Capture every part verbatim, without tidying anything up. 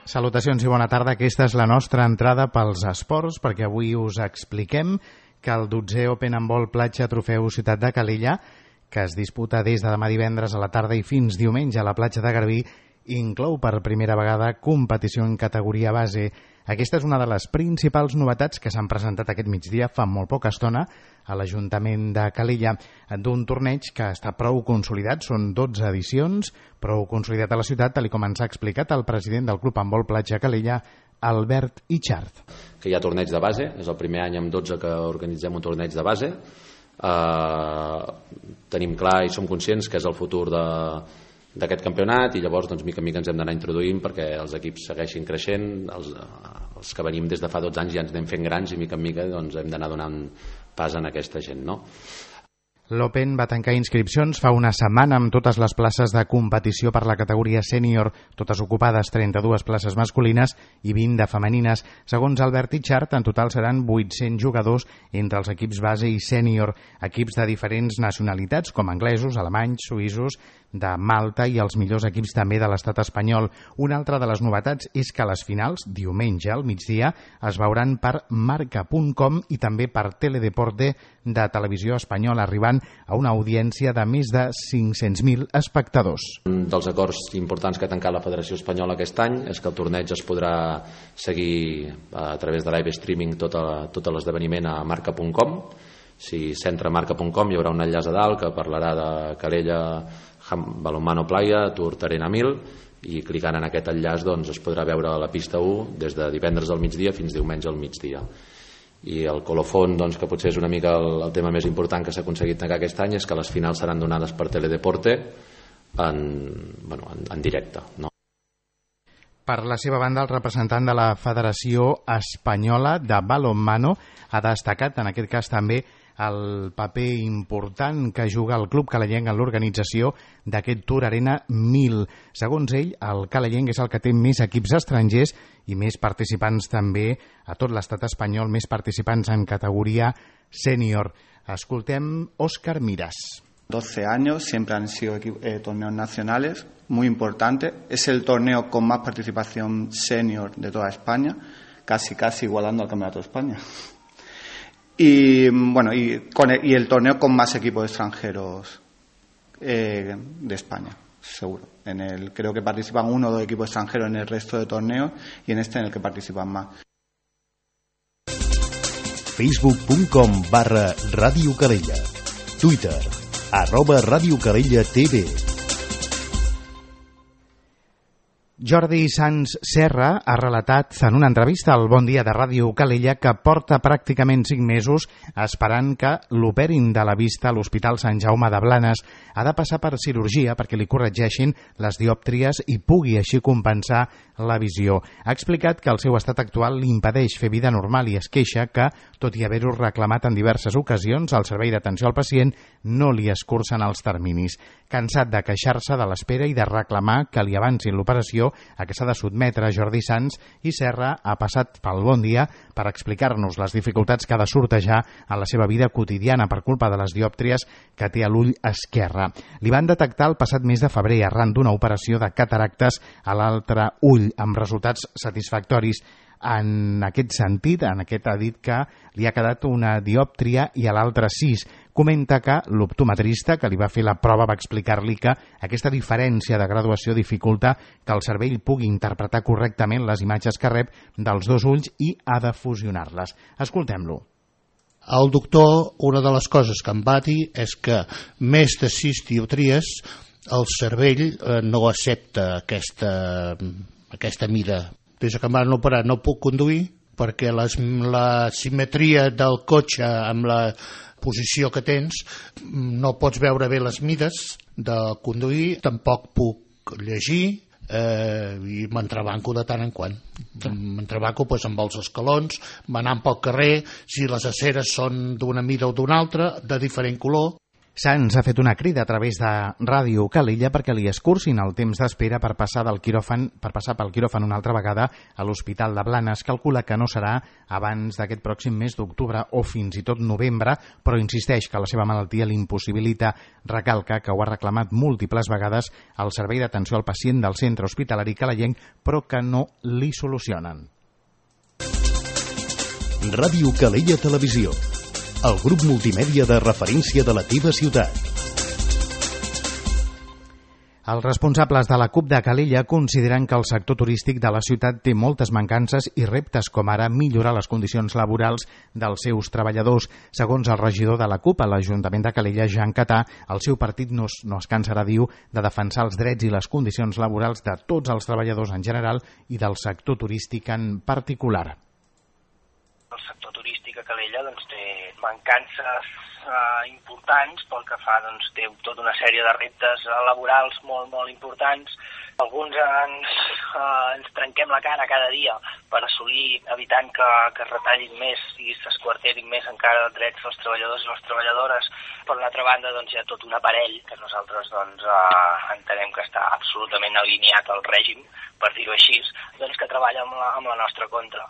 Salutacions i bona tarda. Aquesta és la nostra entrada pels esports, perquè avui us expliquem que el dotzè Open Handball Platja Trofeu Ciutat de Calella, que es disputa des de demà divendres a la tarda i fins diumenge a la platja de Garbí, inclou per primera vegada competició en categoria base. Aquesta és una de les principals novetats que s'han presentat aquest migdia fa molt poca estona a l'Ajuntament de Calella, d'un torneig que està prou consolidat, són dotze edicions, prou consolidat a la ciutat, tal com ens ha explicat el president del Club Handball Platja Calella, Albert Ichart. Que hi ha torneig de base, és el primer any amb dotze que organitzem un torneig de base. Uh, tenim clar i som conscients que és el futur de d'aquest campionat i llavors doncs mica en mica ens hem d'anar introduint perquè els equips segueixin creixent, els, els que venim des de fa dotze anys ja ens anem fent grans i mica en mica doncs hem d'anar donant pas a aquesta gent, no? L'Open va tancar inscripcions fa una setmana amb totes les places de competició per la categoria sènior, totes ocupades, trenta-dues places masculines i vint de femenines. Segons Albert Ichart, en total seran vuit-cents jugadors entre els equips base i sènior, equips de diferents nacionalitats com anglesos, alemanys, suïssos, de Malta i els millors equips també de l'estat espanyol. Una altra de les novetats és que les finals, diumenge al migdia, es veuran per marca punt com i també per Teledeporte de Televisió Espanyola, arribant a una audiència de més de cinc-cents mil espectadors. Un dels acords importants que ha tancat la Federació Espanyola aquest any és que el torneig es podrà seguir a través de live streaming tot, a, tot l'esdeveniment a marca punt com. Si s'entra a marca punt com hi haurà un enllaç a dalt que parlarà de Calella Balonmano Playa, Tour Arena mil, i clicant en aquest enllaç doncs, es podrà veure la pista u des de divendres al migdia fins diumenge al migdia. I el colofon, doncs, que potser és una mica el, el tema més important que s'ha aconseguit tancar aquest any, és que les finals seran donades per Teledeporte en, bueno, en, en directe, no? Per la seva banda, el representant de la Federació Espanyola de Balonmano ha destacat, en aquest cas també, el paper important que juga el Club Calellenc en l'organització d'aquest Tour Arena mil. Segons ell, el Calellenc és el que té més equips estrangers i més participants també a tot l'estat espanyol, més participants en categoria sènior. Escoltem Òscar Miras. doce años, siempre han sido eh, torneos nacionales, muy importante. Es el torneo con más participación senior de toda España, casi casi igualando al Campeonato de España. Y bueno, y, con el, y el torneo con más equipos extranjeros eh, de España, seguro. En el, creo que participan uno o dos equipos extranjeros en el resto de torneos y en este en el que participan más. facebook punt com barra Ràdio Calella. Twitter, arroba Ràdio Calella T V. Jordi Sans Serra ha relatat en una entrevista al Bon Dia de Ràdio Calella que porta pràcticament cinc mesos esperant que l'operin de la vista a l'Hospital Sant Jaume de Blanes. Ha de passar per cirurgia perquè li corregeixin les diòptries i pugui així compensar la visió. Ha explicat que el seu estat actual li impedeix fer vida normal i es queixa que, tot i haver-ho reclamat en diverses ocasions, el servei d'atenció al pacient no li escurcen els terminis. Cansat de queixar-se de l'espera i de reclamar que li avancin l'operació a què s'ha de sotmetre Jordi Sans, i Serra ha passat pel Bon Dia per explicar-nos les dificultats que ha de sortejar en la seva vida quotidiana per culpa de les diòptries que té a l'ull esquerre. Li van detectar el passat mes de febrer arran d'una operació de cataractes a l'altre ull, amb resultats satisfactoris. En aquest sentit, en aquest ha dit que li ha quedat una diòptria i a l'altre sis. Comenta que l'optometrista que li va fer la prova va explicar-li que aquesta diferència de graduació dificulta que el cervell pugui interpretar correctament les imatges que rep dels dos ulls i ha de fusionar-les. Escoltem-lo. El doctor, una de les coses que em va dir és que més de sis dioptries el cervell eh, no accepta aquesta, aquesta mida. Des que em van operar no puc conduir perquè les, la simetria del cotxe amb la posició que tens no pots veure bé les mides de conduir, tampoc puc llegir eh, i m'entrebanco de tant en quant. M'entrebanco pues, amb els escalons, m'anant pel carrer, si les aceres són d'una mida o d'una altra, de diferent color. Sants ha fet una crida a través de Ràdio Calella perquè li escurcin el temps d'espera per passar del quiròfan, per passar pel quiròfan una altra vegada a l'Hospital de Blanes. Calcula que no serà abans d'aquest pròxim mes d'octubre o fins i tot novembre, però insisteix que la seva malaltia l'impossibilita. Recalca que ho ha reclamat múltiples vegades al Servei d'Atenció al Pacient del Centre Hospitalari Calellenc, però que no li solucionen. Ràdio Calella Televisió, el grup multimèdia de referència de la teva ciutat. Els responsables de la CUP de Calella consideren que el sector turístic de la ciutat té moltes mancances i reptes, com ara millorar les condicions laborals dels seus treballadors. Segons el regidor de la CUP a l'Ajuntament de Calella, Jean Catà, el seu partit no es, no es cansarà, diu, de defensar els drets i les condicions laborals de tots els treballadors en general i del sector turístic en particular. El sector turístic a Calella doncs, té mancances eh, importants, pel que fa doncs, té tota una sèrie de reptes eh, laborals molt, molt importants. Alguns ens, eh, ens trenquem la cara cada dia per assolir, evitant que, que es retallin més i s'esquarterin més encara els drets dels treballadors i les treballadores. Per una altra banda, doncs, hi ha tot un aparell que nosaltres doncs, eh, entenem que està absolutament alineat al règim, per dir-ho així, doncs, que treballa amb la, amb la nostra contra.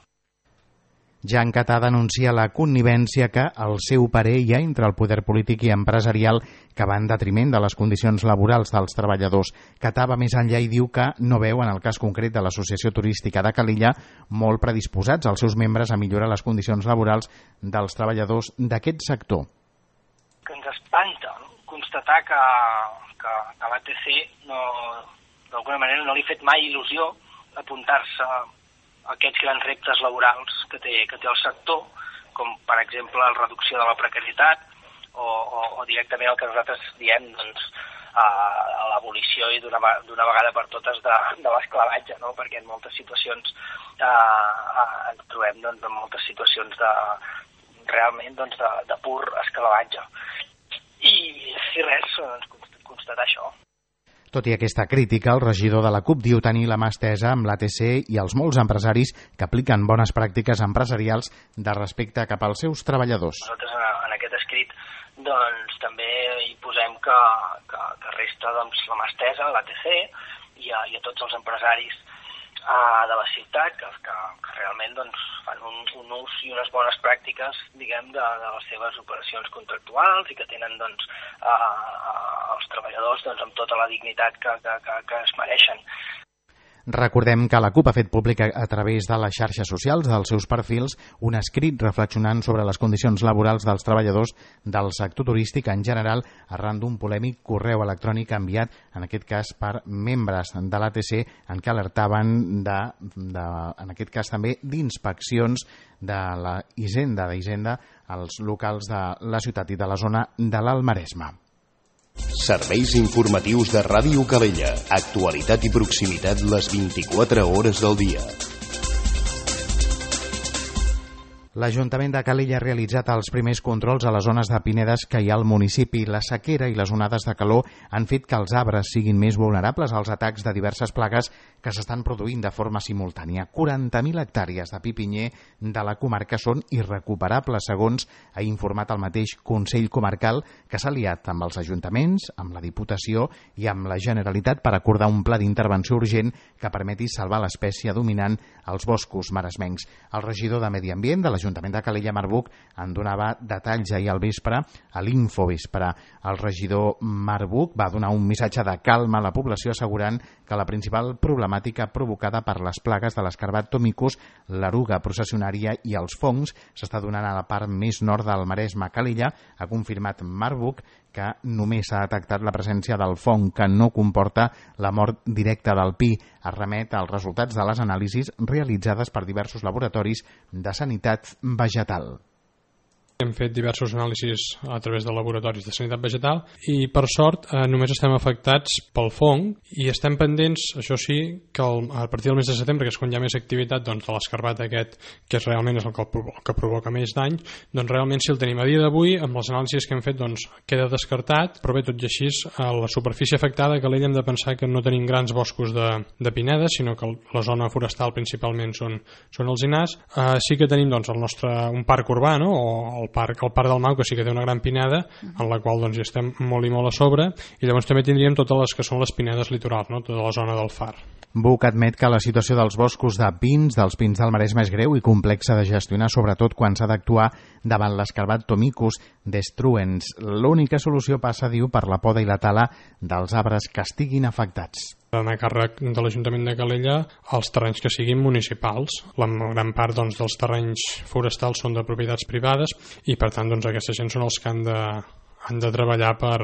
Jean Catà denuncia la connivència que, al seu parer, hi ha entre el poder polític i empresarial que va en detriment de les condicions laborals dels treballadors. Catà va més enllà i diu que no veu, en el cas concret de l'Associació Turística de Calella, molt predisposats els seus membres a millorar les condicions laborals dels treballadors d'aquest sector. Que ens espanta, no? Constatar que, que, que l'A T C no, d'alguna manera no li ha fet mai il·lusió apuntar-se aquests grans reptes laborals que té, que té el sector, com per exemple la reducció de la precarietat o, o, o directament el que nosaltres diem doncs, a, a l'abolició i d'una vegada per totes de, de l'esclavatge, no? Perquè en moltes situacions eh, eh, ens trobem doncs, en moltes situacions de, realment doncs, de, de pur esclavatge. I, i res, doncs, constatar això. Tot i aquesta crítica, el regidor de la CUP diu tenir la mà estesa amb l'A T C i els molts empresaris que apliquen bones pràctiques empresarials de respecte cap als seus treballadors. Nosaltres en aquest escrit doncs, també hi posem que, que, que resta doncs, la mà estesa a l'A T C i a, i a tots els empresaris uh, de la ciutat que, que, que realment doncs, fan un, un ús i unes bones pràctiques diguem, de, de les seves operacions contractuals i que tenen doncs, uh, els treballadors doncs, amb tota la dignitat que, que, que, que es mereixen. Recordem que la CUP ha fet públic a través de les xarxes socials dels seus perfils un escrit reflexionant sobre les condicions laborals dels treballadors del sector turístic en general arran d'un polèmic correu electrònic enviat, en aquest cas per membres de l'A T C, en què alertaven de, de, en aquest cas també d'inspeccions de la Hisenda d'Hisenda als locals de la ciutat i de la zona de l'Alt Maresme. Serveis informatius de Ràdio Calella. Actualitat i proximitat les vint-i-quatre hores del dia. L'Ajuntament de Calella ha realitzat els primers controls a les zones de pinedes que hi ha al municipi. La sequera i les onades de calor han fet que els arbres siguin més vulnerables als atacs de diverses plagues que s'estan produint de forma simultània. quaranta mil hectàrees de pi pinyer de la comarca són irrecuperables, segons ha informat el mateix Consell Comarcal, que s'ha aliat amb els ajuntaments, amb la Diputació i amb la Generalitat per acordar un pla d'intervenció urgent que permeti salvar l'espècie dominant als boscos maresmencs. El regidor de Medi Ambient de l'Ajuntament de Calella, Marc Buch, en donava detalls ahir al vespre a l'Infovespre. El regidor Marc Buch va donar un missatge de calma a la població assegurant que la principal problemàtica provocada per les plagues de l'escarbat Tomicus, l'eruga processionària i els fongs s'està donant a la part més nord del Maresme. Calella ha confirmat Marc Buch que només s'ha detectat la presència del fong, que no comporta la mort directa del pi. Es remet als resultats de les anàlisis realitzades per diversos laboratoris de sanitat vegetal. Hem fet diversos anàlisis a través de laboratoris de sanitat vegetal i, per sort, eh, només estem afectats pel fong i estem pendents, això sí, que el, a partir del mes de setembre, que és quan hi ha més activitat doncs, de l'escarbat aquest, que és realment és el que, el que provoca més dany, doncs realment si el tenim a dia d'avui, amb les anàlisis que hem fet, doncs queda descartat, però bé, tot i així, a la superfície afectada, que l'hem de pensar que no tenim grans boscos de, de pinedes, sinó que la zona forestal principalment són, són els alzinars. Eh, sí que tenim doncs, el nostre, un parc urbà, no? o el el parc, el parc del Mau, que sí que té una gran pineda, en la qual doncs, hi estem molt i molt a sobre, i llavors també tindríem totes les que són les pinedes litorals, no? Tota la zona del Far. Buch admet que la situació dels boscos de pins, dels pins del Maresme, és greu i complexa de gestionar, sobretot quan s'ha d'actuar davant l'escarbat Tomicus destruens. L'única solució passa, diu, per la poda i la tala dels arbres que estiguin afectats. D'anar a càrrec de l'Ajuntament de Calella els terrenys que siguin municipals. La gran part doncs, dels terrenys forestals són de propietats privades i per tant doncs, aquesta gent són els que han de, han de treballar per,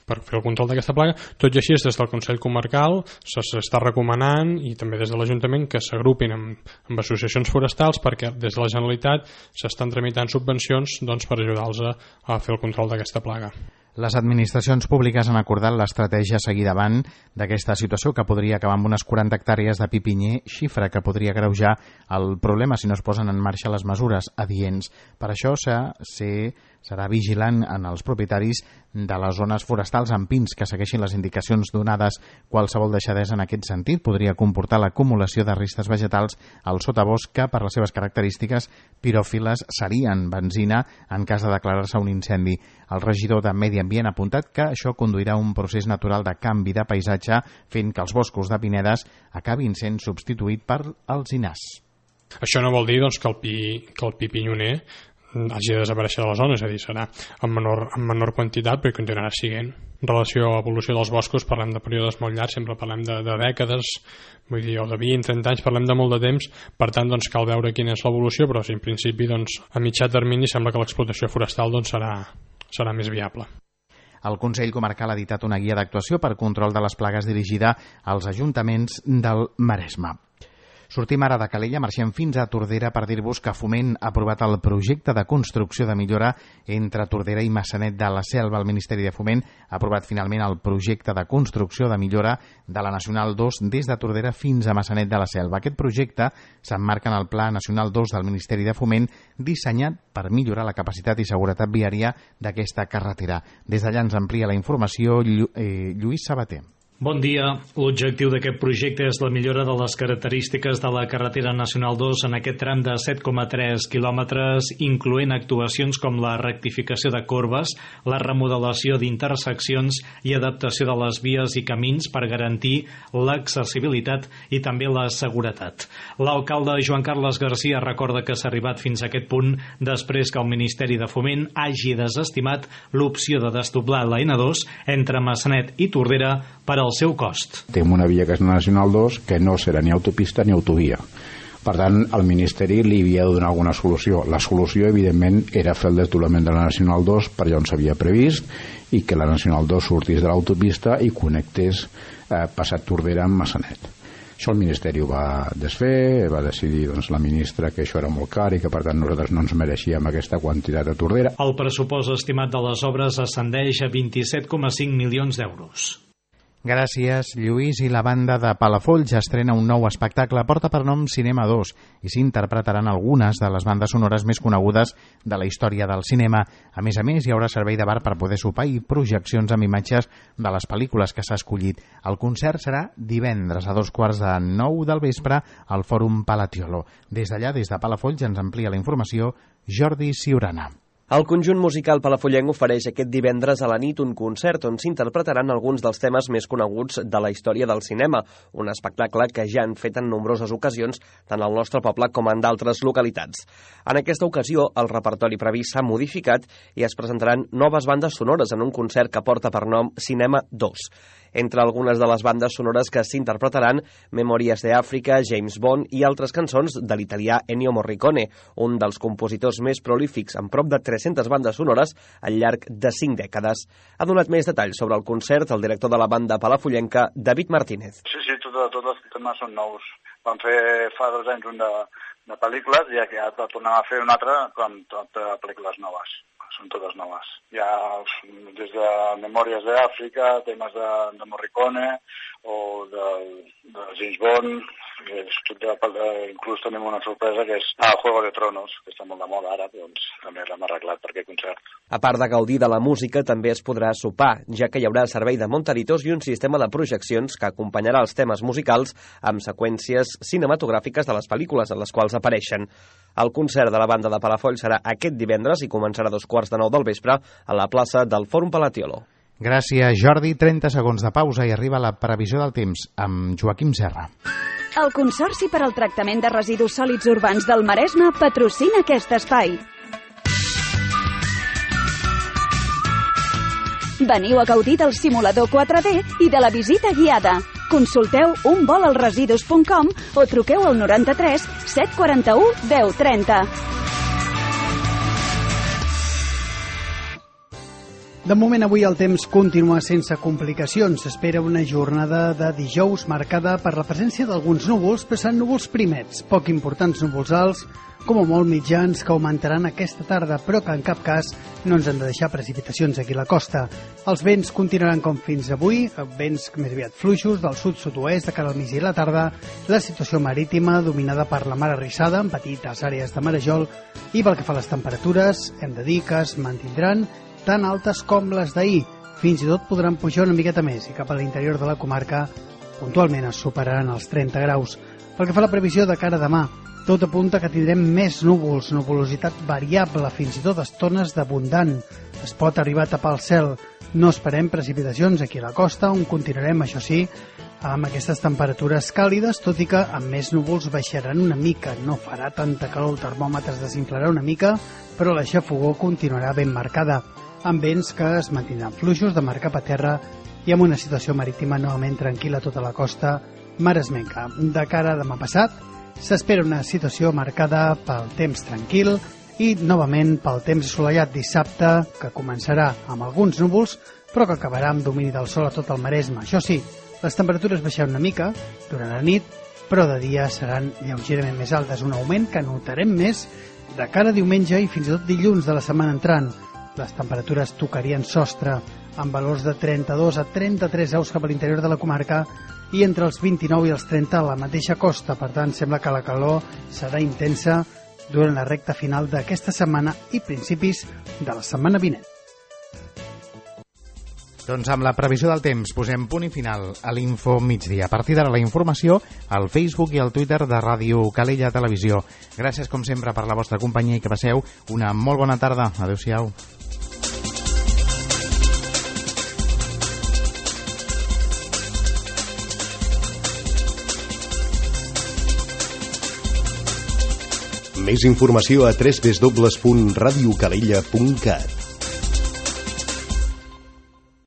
per fer el control d'aquesta plaga. Tot i així, des del Consell Comarcal s'està recomanant i també des de l'Ajuntament que s'agrupin amb, amb associacions forestals perquè des de la Generalitat s'estan tramitant subvencions doncs, per ajudar-los a, a fer el control d'aquesta plaga. Les administracions públiques han acordat l'estratègia a seguir davant d'aquesta situació que podria acabar amb unes quaranta hectàrees de pi pinyer, xifra que podria agreujar el problema si no es posen en marxa les mesures adients. Per això se serà vigilant en els propietaris de les zones forestals amb pins que segueixin les indicacions donades. Qualsevol deixadesa en aquest sentit podria comportar l'acumulació de restes vegetals al sotabosc que, per les seves característiques piròfiles, serien benzina en cas de declarar-se un incendi. El regidor de Medi Ambient ha apuntat que això conduirà a un procés natural de canvi de paisatge, fent que els boscos de pinedes acabin sent substituïts per alzinars. Això no vol dir doncs, que el pi, que el pi pinyoner hagi de desaparèixer de la zona, és a dir, serà en menor, en menor quantitat, però continuarà siguent. En relació a l'evolució dels boscos, parlem de períodes molt llargs, sempre parlem de, de dècades, vull dir, o de vint, trenta anys, parlem de molt de temps, per tant, doncs, cal veure quina és l'evolució, però sí, en principi, doncs, a mitjà termini sembla que l'explotació forestal doncs, serà, serà més viable. El Consell Comarcal ha editat una guia d'actuació per control de les plagues dirigida als ajuntaments del Maresme. Sortim ara de Calella, marxem fins a Tordera per dir-vos que Foment ha aprovat el projecte de construcció de millora entre Tordera i Maçanet de la Selva. El Ministeri de Foment ha aprovat finalment el projecte de construcció de millora de la Nacional dos des de Tordera fins a Maçanet de la Selva. Aquest projecte s'emmarca en el Pla Nacional dos del Ministeri de Foment dissenyat per millorar la capacitat i seguretat viària d'aquesta carretera. Des d'allà ens amplia la informació Llu- eh, Lluís Sabater. Bon dia. L'objectiu d'aquest projecte és la millora de les característiques de la carretera nacional dos en aquest tram de set coma tres quilòmetres, incloent actuacions com la rectificació de corbes, la remodelació d'interseccions i adaptació de les vies i camins per garantir l'accessibilitat i també la seguretat. L'alcalde Joan Carles Garcia recorda que s'ha arribat fins a aquest punt després que el Ministeri de Foment hagi desestimat l'opció de desdoblar la ena dos entre Maçanet i Tordera per al seu cost. Tenim una via que és la Nacional dos que no serà ni autopista ni autovia. Per tant, el Ministeri li havia de donar alguna solució. La solució, evidentment, era fer el desdoblament de la Nacional dos per allà on s'havia previst i que la Nacional dos sortís de l'autopista i connectés eh, passat Tordera amb Maçanet. Això el Ministeri ho va desfer, va decidir doncs, la ministra que això era molt car i que per tant nosaltres no ens mereixíem aquesta quantitat a Tordera. El pressupost estimat de les obres ascendeix a vint-i-set coma cinc milions d'euros. Gràcies, Lluís. I la banda de Palafolls estrena un nou espectacle, porta per nom Cinema dos, i s'interpretaran algunes de les bandes sonores més conegudes de la història del cinema. A més a més, hi haurà servei de bar per poder sopar i projeccions amb imatges de les pel·lícules que s'ha escollit. El concert serà divendres a dos quarts de nou del vespre al Fòrum Palatiolo. Des d'allà, des de Palafolls, ens amplia la informació Jordi Ciurana. El conjunt musical palafollenc ofereix aquest divendres a la nit un concert on s'interpretaran alguns dels temes més coneguts de la història del cinema, un espectacle que ja han fet en nombroses ocasions tant al nostre poble com en d'altres localitats. En aquesta ocasió, el repertori previst s'ha modificat i es presentaran noves bandes sonores en un concert que porta per nom Cinema dos. Entre algunes de les bandes sonores que s'interpretaran, Memòries d'Àfrica, James Bond i altres cançons de l'italià Ennio Morricone, un dels compositors més prolífics amb prop de tres-centes bandes sonores al llarg de cinc dècades. Ha donat més detalls sobre el concert el director de la banda palafollenca, David Martínez. Sí, sí, tots, tots els temes són nous. Vam fer fa dos anys un de, de pel·lícules i ja tornem a fer un altre amb tot de pel·lícules noves. Són totes noves. Hi ha des de Memòries d'Àfrica, temes de, de Morricone o de, de James Bond, inclús tenim una sorpresa que és a Juego de Tronos, que està molt de moda ara, doncs també l'hem arreglat per aquest concert. A part de gaudir de la música, també es podrà sopar, ja que hi haurà servei de montaditos i un sistema de projeccions que acompanyarà els temes musicals amb seqüències cinematogràfiques de les pel·lícules en les quals apareixen. El concert de la banda de Palafolls serà aquest divendres i començarà a dos quarts de nou del vespre a la plaça del Fòrum Palatiolo. Gràcies, Jordi. trenta segons de pausa i arriba la previsió del temps amb Joaquim Serra. El Consorci per al Tractament de Residus Sòlids Urbans del Maresme patrocina aquest espai. Veniu a gaudir del simulador quatre D i de la visita guiada. Consulteu un vol als residus punt com o truqueu al noranta-tres set quaranta-u deu trenta. De moment, avui el temps continua sense complicacions. S'espera una jornada de dijous marcada per la presència d'alguns núvols, però seran núvols primets, poc importants núvols alts, com a molt mitjans, que augmentaran aquesta tarda, però que en cap cas no ens han de deixar precipitacions aquí a la costa. Els vents continuaran com fins avui, vents més aviat fluixos del sud-sud-oest de cara al migdia i la tarda, la situació marítima dominada per la mar arrissada, en petites àrees de marejol, i pel que fa a les temperatures, hem de dir que es mantindran tan altes com les d'ahir. Fins i tot podran pujar una miqueta més i cap a l'interior de la comarca puntualment es superaran els trenta graus. Pel que fa a la previsió de cara a demà, tot apunta que tindrem més núvols, nuvolositat variable, fins i tot estones d'abundant. Es pot arribar a tapar el cel. No esperem precipitacions aquí a la costa, on continuarem, això sí, amb aquestes temperatures càlides, tot i que amb més núvols baixaran una mica. No farà tanta calor, el termòmetre es desinflarà una mica, però la xafogor continuarà ben marcada, amb vents que es mantindran fluixos de mar cap a terra i amb una situació marítima novament tranquil·la a tota la costa maresmenca. De cara a demà passat, s'espera una situació marcada pel temps tranquil i novament pel temps assolellat dissabte, que començarà amb alguns núvols, però que acabarà amb domini del sol a tot el Maresme. Això sí, les temperatures baixaran una mica durant la nit, però de dia seran lleugerament més altes, un augment que notarem més de cara a diumenge i fins i tot dilluns de la setmana entrant. Les temperatures tocarien sostre amb valors de trenta-dos a trenta-tres graus cap a l'interior de la comarca i entre els vint-i-nou i els trenta a la mateixa costa. Per tant, sembla que la calor serà intensa durant la recta final d'aquesta setmana i principis de la setmana vinent. Doncs amb la previsió del temps posem punt i final a l'Info Migdia. A partir d'ara la informació al Facebook i al Twitter de Ràdio Calella Televisió. Gràcies com sempre per la vostra companyia i que passeu una molt bona tarda. Adéu-siau. Més informació a w w w punt radio calella punt cat.